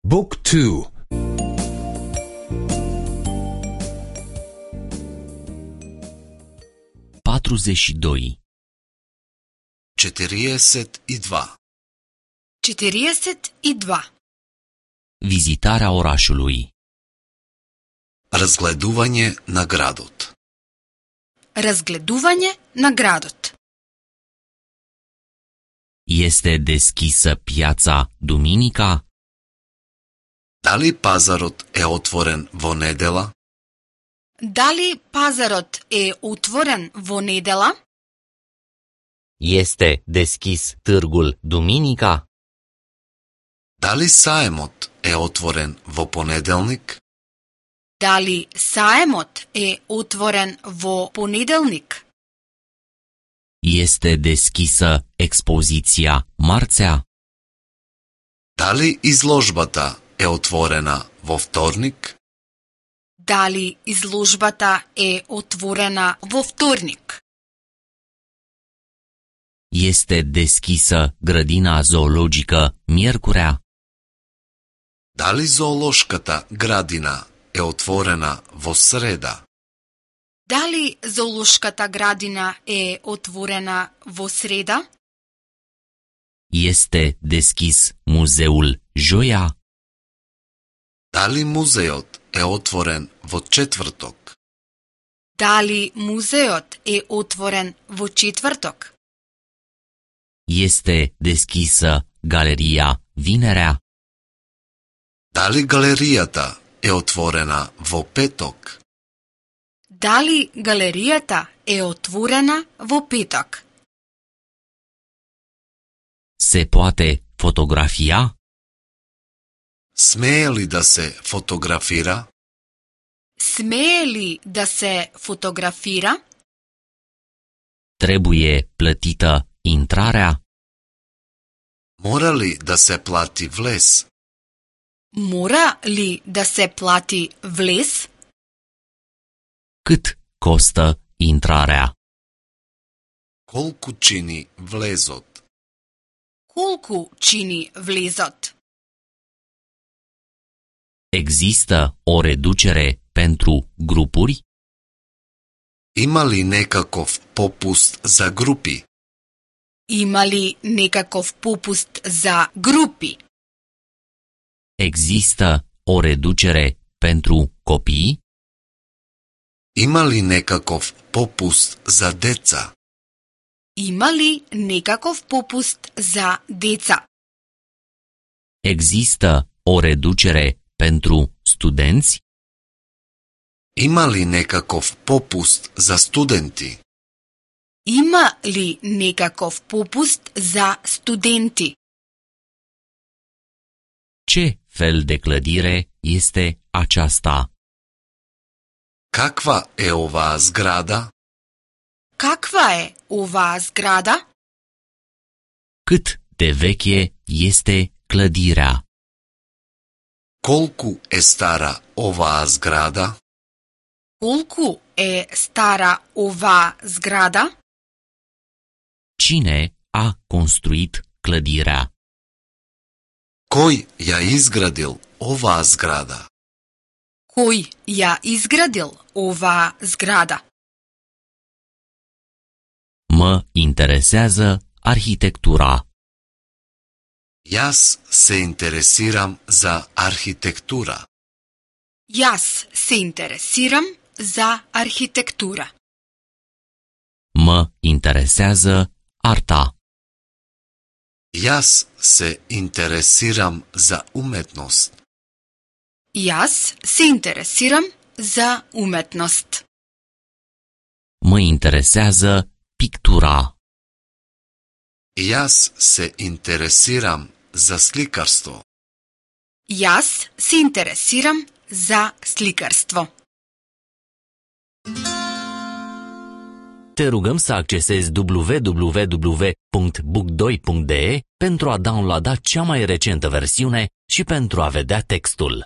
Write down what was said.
Book 2. 42. 42. 42. Vizitarea orașului. Разгледување на градот. Разгледување на градот. Este deschisă piața duminica? Дали пазарот е отворен во недела? Дали пазарот е отворен во недела? Este deschis târgul duminica? Дали саемот е отворен во понеделник? Дали саемот е отворен во понеделник? Este deschisă expoziția marțea? Дали изложбата е отворена во вторник? Дали изложбата е отворена во вторник? Este deschisă grădina zoologică miercurea? Дали зоолошката градина е отворена во среда? Дали зоолошката градина е отворена во среда? Este deschis muzeul joia? Дали музеот е отворен во четврток? Дали музеот е отворен во четврток? Este deschisă galeria vinerea? Дали галеријата е отворена во петок? Дали галеријата е отворена во петок? Se poate fotografia? Смее ли да се фотографира? Смее ли да се фотографира? Trebuie plătită intrarea? Мора ли да се плати влез? Мора ли да се плати влез? Cât costă intrarea? Колку чини влезот? Колку чини влезот? Există o reducere pentru grupuri? Има ли некаков попуст за групи? Има ли некаков попуст за групи? Există o reducere pentru copii? Има ли некаков попуст за деца? Има ли некаков попуст за деца? Există o reducere pentru studenți? Има ли некаков попуст за студенти? Има ли некаков попуст за студенти? Ce fel de clădire este aceasta? Каква е оваа зграда? Каква е оваа зграда? Cât de veche este clădirea? Колку е стара оваа зграда? Колку е стара оваа зграда? Cine a construit clădirea? Кој ја изградил оваа зграда? Кој ја изградил оваа зграда? Mă interesează arhitectura. Јас се интересирам за архитектура. Јас се интересирам за архитектура. Mă interesează arta. Јас се интересирам за уметност. Јас се интересирам за уметност. Mă interesează pictura. Јас се интересирам за сликарство. Јас се интересирам за сликарство. Te rugăm să accesezi www.book2.de pentru a downloada cea mai recentă versiune și pentru a vedea textul.